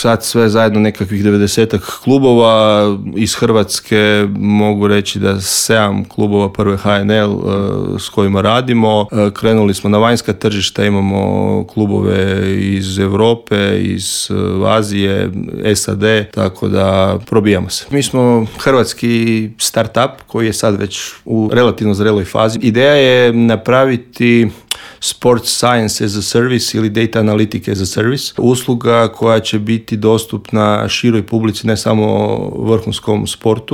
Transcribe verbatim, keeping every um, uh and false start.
sad sve zajedno nekakvih devedesetak klubova. Iz Hrvatske mogu reći da sedam klubova prve H N L s kojima radimo. Krenuli smo na vanjska tržišta, imamo klubove iz Europe, iz Azije, S A D, tako da probijamo se. Mi smo hrvatski startup koji je sad već u relativno zreloj fazi. Ideja je napraviti Sports Science as a Service ili Data Analytic as a Service. Usluga koja će biti dostupna široj publici, ne samo vrhunskom sportu,